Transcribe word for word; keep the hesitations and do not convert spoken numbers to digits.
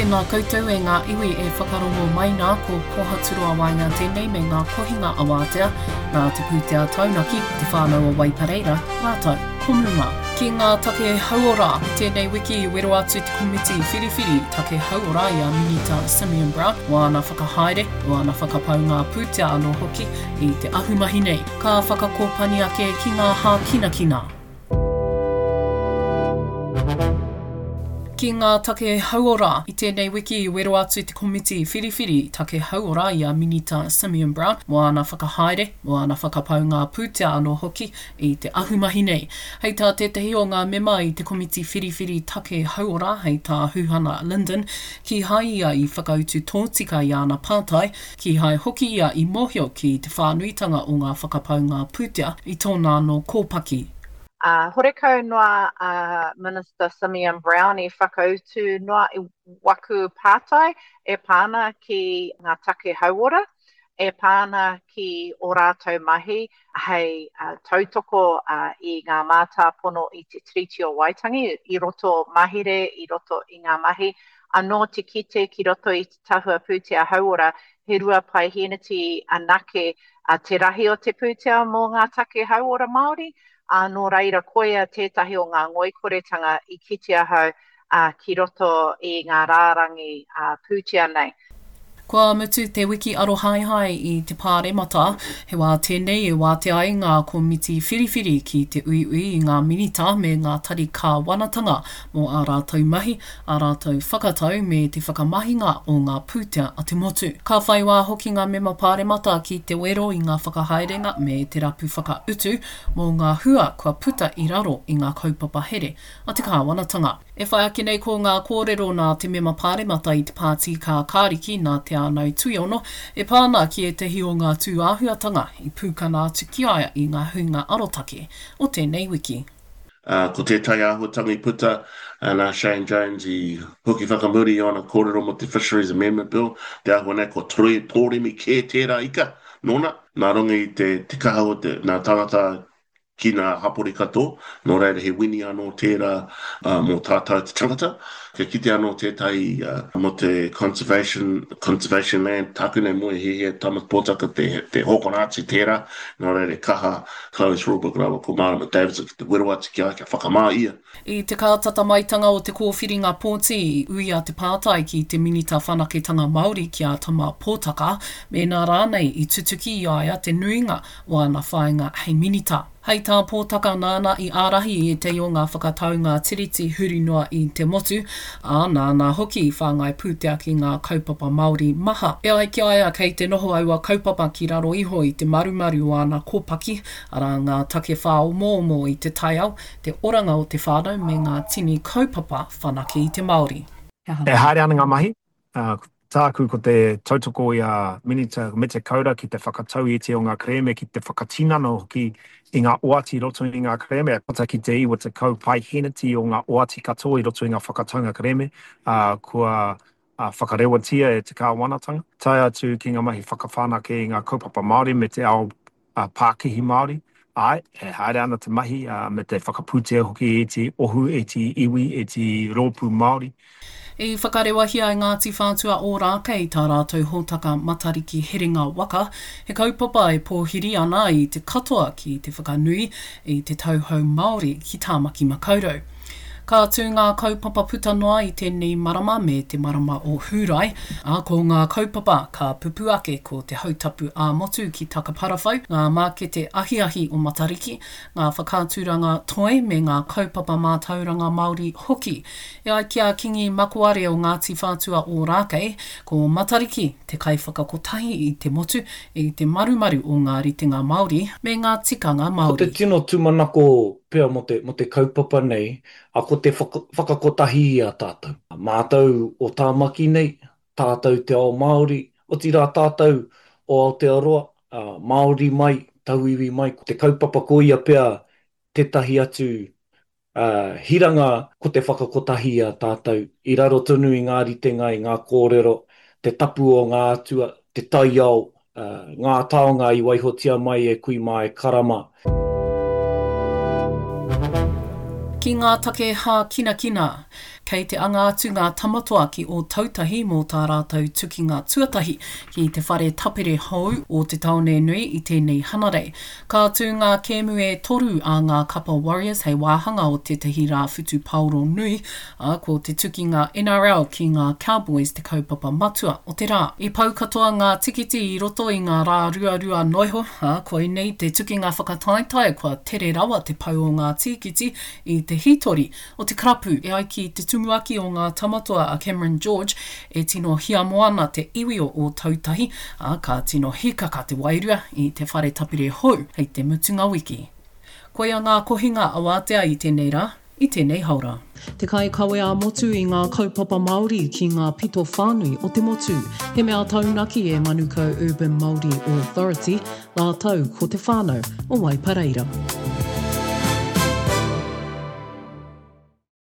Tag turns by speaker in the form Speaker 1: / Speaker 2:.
Speaker 1: Tēnā koutou e ngā iwi e whakarongo mai nā ko Pohaturoa Waenga tēnei me ngā kohinga awātea nā te pūtea taunaki, te whānau o Waipareira, rātou ko Muma. Ki ngā take hauora, tēnei wiki i wero atu te komiti whiriwhiri take hauora i a Minita Simeon Brown mō āna whakahaere, mō āna whakapaunga pūtea anō hoki i te ahumahi nei. Ka whakakōpani ake ki ngā hākinakina. Ki ngā take hauora, i tēnei wiki i wero atu te komiti whiriwhiri take hauora i a Minita Simeon Brown mō āna whakahaere, mō āna whakapaunga pūtea anō hoki i te ahumahi nei. Hei tā tētahi o ngā mema i te komiti whiriwhiri take hauora hei tā Huhana Lyndon, kīhai ia i whakautu tōtika i āna pātai, kīhai hoki ia i mōhio ki te whānuitanga o ngā whakapaunga pūtea i tōna anō kōpaki.
Speaker 2: Uh, horekau noa a uh, Minister Simeon Brown i whakautu noa i waku pātai e pāna ki ngā take hauora, e pāna ki o rātou mahi hei uh, tautoko uh, i ngā mātāpono i te Tiriti o Waitangi, i roto mahere, i roto i ngā mahi. Anō te kite ki roto i te tahua pūtea hauora, he rua paeheneti anake uh, te rahi o te pūtea mō ngā take hauora Māori, ā, nō reira koia tētahi o ngā ngoikoretanga i kite ahau uh, ki roto i ngā rārangi uh, pūtea nei.
Speaker 1: Kua mutu te wiki arohaehae i te pāremata, he wā tēnei e wātea ai ngā komiti whiriwhiri ki te uiui i ngā minita me ngā tari kāwanatanga mō ā rātou mahi, ā rātou whakatau me te whakamahinga o ngā pūtea a te motu. Ka whai wā hoki ngā mema pāremata ki te wero i ngā whakahaerenga me te rapu whakautu mō ngā hua kua puta i raro i ngā kaupapa here a te kāwanatanga. E whai ake nei ko ngā kōrero nā te mema pāremata i te pāti Kākāriki nā Te Ānau Tuiono e pā ana ki ētahi o ngā tūāhuatanga i pūkana atu ki a ia i ngā huinga arotake o tēnei wiki.
Speaker 3: Uh, ko tētahi āhuatanga i puta uh, nā Shane Jones i hoki whakamuri i ōna kōrero mō te Fisheries Amendment Bill, te āhua nei ko tōremi kē tērā ika nōna, nā runga i te, te kaha o te, nā tangata ki ngā hapori katoa, nō reira he wini anō tērā uh, mō tātou te tangata. Kia kite anō tētahi uh, mō te conservation, conservation land, tāku nei moe hiahia Tāmati Pōtaka te, te hokona atu tērā, nō reira kaha Chloe Swarbrick rāua ko Marama Davidson ki te wero atu ki a kia whakamā ia.
Speaker 1: I te kātata maitanga o te kōwhiringa pōti i uia te pātai ki te Minita Whanaketanga Māori ki a Tama Pōtaka, mēnā rānei i tutuki i a ia te nuinga o ana whāinga hei minita. Hei tā Pōtaka nāna i ārahi i ētahi o ngā whakataunga tiriti huri noa i te motu, ā, nāna hoki i whāngai pūtea ki ngā kaupapa Māori maha. E ai ki a ia kei te noho aua kaupapa ki raro iho i te marumaru o ana kōpaki, arā ngā take whāomoomo i te taiao, te oranga o te whānau me ngā tini kaupapa whanake i te Māori.
Speaker 4: E haere ana ngā mahi, uh, tāku ko te tautoko i a Minita Mete Kaura ki te whakatau i te o ngā kerēme, ki te whakatinana hoki i ngā oati i roto i ngā kerēme, puta ki te iwa tekau paeheneti o ngā oati katoa i roto i ngā whakataunga kerēme, uh, kua uh, whakarewatia e te kāwanatanga, tae atu ki ngā mahi whakawhanake i ngā kaupapa Māori me te ao uh, pākihi Māori. Āe, e haere ana te mahi uh, me te whakapūtea hoki e te ohu, e te iwi, e te rōpū Māori.
Speaker 1: I whakarewahia e Ngāti Whātua Ōrākei tā rātou hōtaka Matariki Herenga Waka, he kaupapa e pōhiri ana i te katoa ki te whakanui i te tauhou Māori ki Tāmaki Makaurau. Ka tū ngā kaupapa puta noa i tēnei marama me te marama o Hūrae, ā, ko ngā kaupapa ka pupū ake ko te hautapu ā-motu ki Takaparawhau, ngā mākete ahiahi o Matariki, ngā whakaaturanga toi me ngā kaupapa mātauranga Māori hoki. E ai ki a Kingi Makoare o Ngāti Whātua Ōrākei, ko Matariki te kaiwhakakotahi i te motu i te marumaru o ngā ritenga Māori me ngā tikanga
Speaker 5: Ko te
Speaker 1: Māori.
Speaker 5: tino tūmanako pea mō te, mō te kaupapa nei, a ko te whaka, whakakotahi i a tātou. Mātou o Tāmaki nei, tātou te ao Māori, otirā tātou o Aotearoa, ā, Māori mai, tauiwi mai, ko te kaupapa ko ia pea tētahi atu ā, hiranga ko te whakakotahi i a tātou, i raro tonu i ngā ritenga, i ngā kōrero, te tapu o ngā atua, te taiao, ā, ngā taonga i waihotia mai e kui mā e kara mā.
Speaker 1: Ki ngā take hākinakina, kei te anga atu ngā Tamatoa ki Ōtautahi mō tā rātou tukinga tuatahi ki te whare tapere hou o te tāone nui i tēnei Hanarei. Ka tū ngā kēmu e toru a ngā kapa Warriors hei wāhanga o tētahi rā whutupaoro nui, ā, ko te tukinga NRL ki ngā Cowboys te kaupapa matua o te rā. I pau katoa ngā tikiti i roto i ngā rā ruarua noa iho, ā, koinei te tukinga whakataetae kua tere rawa te pau o ngā tīkiti i te hītori o te karapu. E ai ki te tumuaki o ngā Tamatoa a Cameron George, e tino hiamo ana te iwi o Ōtautahi, ā, ka tino hīkaka te wairua i te whare tapere hou hei te mutunga wiki. Koia ngā kohinga awātea i tēnei rā, i tēnei haora. Te kaikawe ā-motu i ngā kaupapa Māori ki ngā pito whānui o te motu. He mea taunaki e Manukau Urban Māori Authority rātou ko te whānau o Waipareira.